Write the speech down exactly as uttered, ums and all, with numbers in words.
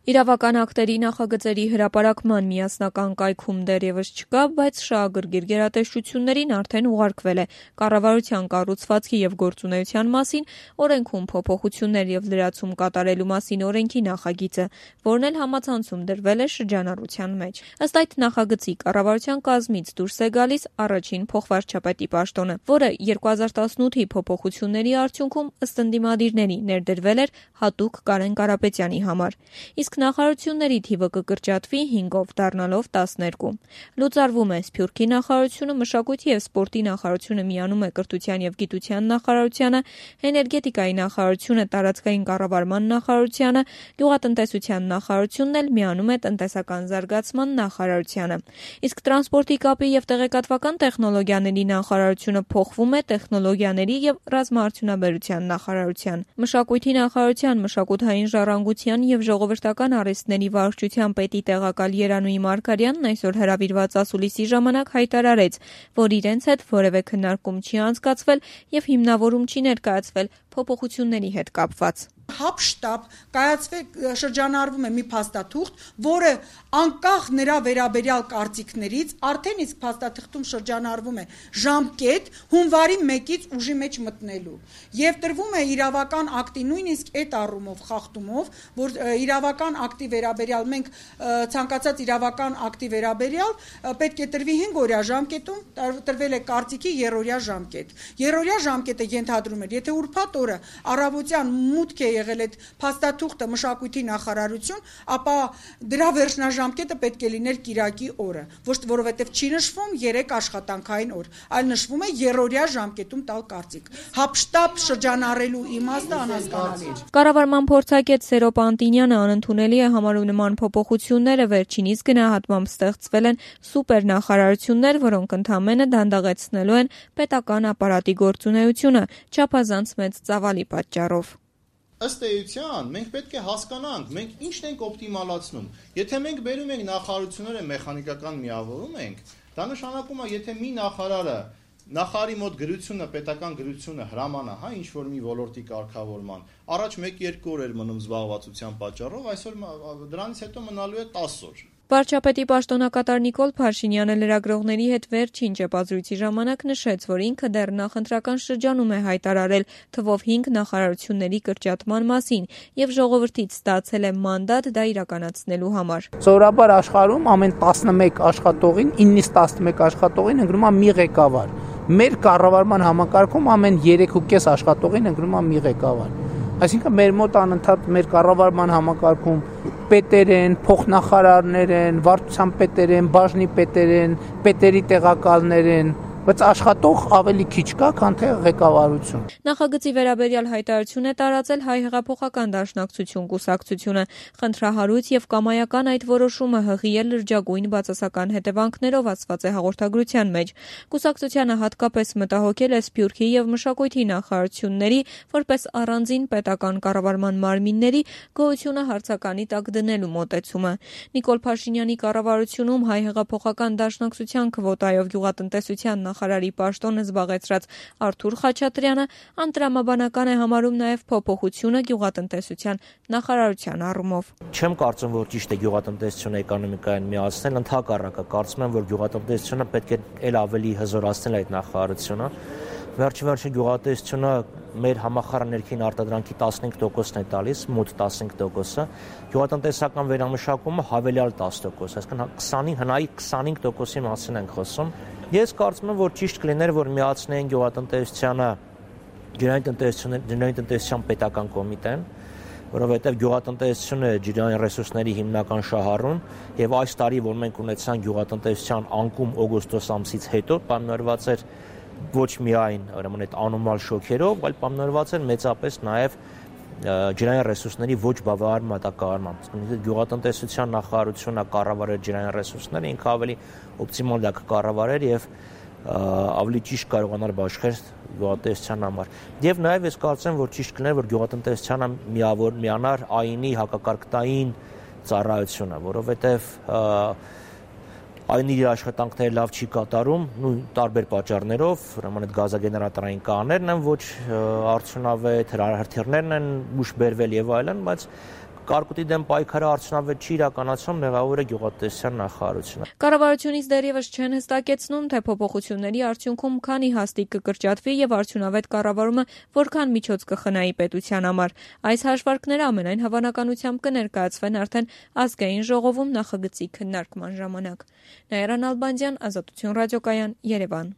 Իրավական ակտերի նախագծերի հրապարակման միասնական կայքում դեռևս չկա, բայց շահագրգիռ գերատեսչություններին արդեն ուղարկվել է կառավարության կառուցվածքի եւ գործունեության մասին օրենքում փոփոխություններ եւ լրացում կատարելու մասին օրենքի նախագիծը, որն էլ համացանցում դրվել է շրջանառության մեջ։ Ըստ այդ նախագծի կառավարության կազմից դուրս է գալիս առաջին փոխվարչապետի պաշտոնը, որը երկու հազար տասնութի փոփոխությունների արդյունքում ըստ ընդդիմադիրների ներդրվել էր հատուկ Կարեն Կարապետյանի համար։ Իսկ նախարարությունների թիվը կկրճատվի հինգով, դառնալով տասներկու։ Լուծարվում է Սփյուռքի նախարարությունը, մշակույթի եւ սպորտի նախարարությունը միանում է կրթության եւ գիտության նախարարությանը, էներգետիկայի նախարարությունը տարածքային կառավարման նախարարությանը, գյուղատնտեսության նախարարությունն էլ միանում է տնտեսական զարգացման նախարարությանը։ Իսկ տրանսպորտի կապի եւ տեղեկատվական տեխնոլոգիաների նախարարությունը փոխվում է տեխնոլոգիաների եւ ռազմաարդյունաբերության նախարարության։ Մշակույթի նախարարության մշակութային ժառանգության եւ ժողովրդական արհեստների վարչության պետի տեղակալ Երանուհի Մարգարյանն այսօր հրավիրված ասուլիսի ժամանակ հայտարարեց, որ իրենց հետ որևէ քննարկում չի անցկացվել եւ հիմնավորում չի ներկայացվել փոփոխությունների հետ կապված։ Հապշտապ կայացվեք շրջանառվում է մի փաստաթուղթ, որը անկախ նրա վերաբերյալ կարծիքներից արդեն իսկ փաստաթղթում շրջանառվում է ժամկետ հունվարի մեկից ուժի մեջ մտնելու եւ տրվում է իրավական ակտի նույնիսկ այդ առումով խախտումով, որ իրավական ակտի վերաբերյալ մենք ցանկացած իրավական ակտի վերաբերյալ պետք է տրվի հինգ օրյա ժամկետում, տրվել է կարծիքի երրորդյա ժամկետ։ Երրորդյա ժամկետը ենթադրում էր, եթե ուրբաթ օրը առավոտյան մուտք է եղել այդ փաստաթուղթը մշակույթի նախարարություն, ապա դրա վերջնաժամկետը պետք է լիներ կիրակի օրը, ոչ թե որովհետև չի նշվում երեք աշխատանքային օր, այլ նշվում է երրորդյա ժամկետում տալ կարծիք։ Հապշտապ շրջանառելու իմաստը անհասկանալի է։ Կառավարման փորձագետ Սերոպ Անտինյանը անընդունելի է համարում նման փոփոխությունները, վերջինիս գնահատմամբ ստեղծվել են սուպեր նախարարություններ, որոնք ընդամենը դանդաղեցնելու են պետական ապարատի գործունեությունը, չափազանց մեծ ծավալի պատճառով։ Ըստ էության, մենք պետք է հասկանանք, մենք ինչն ենք օպտիմալացնում։ Եթե մենք բերում ենք նախարարությունները մեխանիկական միավորում ենք, դա նշանակում է, եթե մի նախարարը նախարարի մոտ գրությունը, պետական գրությունը հրամանա, հա, ինչ որ մի ոլորտի կարգավորման, առաջ մեկ-երկու օր էր մնում զբաղվածության պատճառով, այսօր դրանից հետո մնալու է տասը օր։ Վարչապետի պաշտոնակատար Նիկոլ Փաշինյանը լրագրողների հետ վերջին ճեպազրույցի ժամանակ նշեց, որ ինքը դեռ նախընտրական շրջանում է հայտարարել թվով հինգ նախարարությունների կրճատման մասին եւ ժողովրդից ստացել է մանդատ դա իրականացնելու համար։ Սովորաբար աշխարհում ամեն տասնմեկ աշխատողին, իննից տասնմեկ աշխատողին ընտրում է մի ղեկավար։ Մեր կառավարման համակարգում ամեն երեք ու կես աշխատողին ընտրում է մի ղեկավար։ Այսինքն մեր մոտ անընդհատ մեր կառավարման համակարգում պետեր են, փոխնախարարներ են, վարչության պետեր են, բաժնի պետեր են, պետերի տեղակալներ են, բայց աշխատող ավելի քիչ կա, քան թե ղեկավարություն։ Նախագծի վերաբերյալ հայտարարություն է տարածել Հայ հեղափոխական դաշնակցություն կուսակցությունը, խնդրահարույց եւ կամայական այդ որոշումը հղի է լրջագույն բացասական հետևանքներով ասված է հաղորդագրության մեջ։ Կուսակցությանը հատկապես մտահոգել է Սփյուռքի եւ մշակույթի նախարարությունների, որպես առանձին պետական կառավարման մարմինների գոյությունը հարցականի տակ դնելու մոտեցումը։ Նիկոլ Փաշինյանի կառավարությունում Հայ հեղափոխական դաշնակցության քվոտայով գյուղատնտեսության նախարարի պաշտոնը զբաղեցրած Արթուր Խաչատրյանը անտրամաբանական է համարում նաև փոփոխությունը գյուղատնտեսության նախարարության առումով։ Չեմ կարծում, որ ճիշտ է գյուղատնտեսությունը էկոնոմիկային միացնել, ընդհակառակը կարծում եմ, որ գյուղատնտեսությունը պետք է ել ավելի հզորացնել այդ նախարարությունը։ Վերջի-վերջի գյուղատնտեսությունը մեր համախառն ներքին արտադրանքի տասնհինգ տոկոսն է տալիս, մոտ տասնհինգ տոկոսը, գյուղատնտեսական վերամշակումը հավելյալ տասը տոկոս, այսինքն քսանին հնայի քսանհինգ տոկոսի մասին ենք խոսում։ Ես կարծում եմ, որ ճիշտ կլիներ, որ միացնեին գյուղատնտեսությանը ջրային տնտեսության պետական կոմիտեն, որովհետև գյուղատնտեսությունը ջրային ռեսուրսների հիմնական շահառուն եւ այս տարի, որ մենք ունեցանք գյուղատնտեսության անկում օգոստոս ամսից հետո, պայմանավորված էր ոչ միայն ուրեմն այդ անոմալ շոկերով, այլ պայմանավորված էր մեծապես նաեւ ջրային ռեսուրսների ոչ բավարար մատակարարմամբ։ Գյուղատնտեսության նախարարությունը կառավարել ջրային ռեսուրսները, ինքը ավելի օպտիմալ դա կառավարեր եւ ավելի ճիշտ կարողանար բաշխել գյուղատնտեսության համար։ Եվ նաեւ ես կարծեմ, որ ճիշտ կլիներ, որ գյուղատնտեսությանը միավոր միանար ԱԻՆ-ի հակակարգտային ծառայությունը, որովհետեւ այն իր աշխատանքները լավ չի կատարում, նույն տարբեր պատճառներով, ուրեմն այդ գազագեներատորային կաներն են ոչ արդյունավետ, հրթիռներն են ուշ բերվել եւ այլն, բայց կարկուտի դեմ պայքարը արդյունավետ չի իրականացնում, մեղավոր է գյուղատնտեսության նախարարությունը։ Կառավարությունից դեռևս չեն հստակեցնում, թե փոփոխությունների արդյունքում քանի հաստիկ կկրճատվի եւ արդյունավետ կառավարումը որքան միջոց կխնայի պետության համար։ Այս հաշվարկները ամենայն հավանականությամբ կներկայացվեն արդեն ազգային ժողովում նախագծի քննարկման ժամանակ։ Նաիրա Նալբանդյան, Ազատություն ռադիոկայան, Երևան։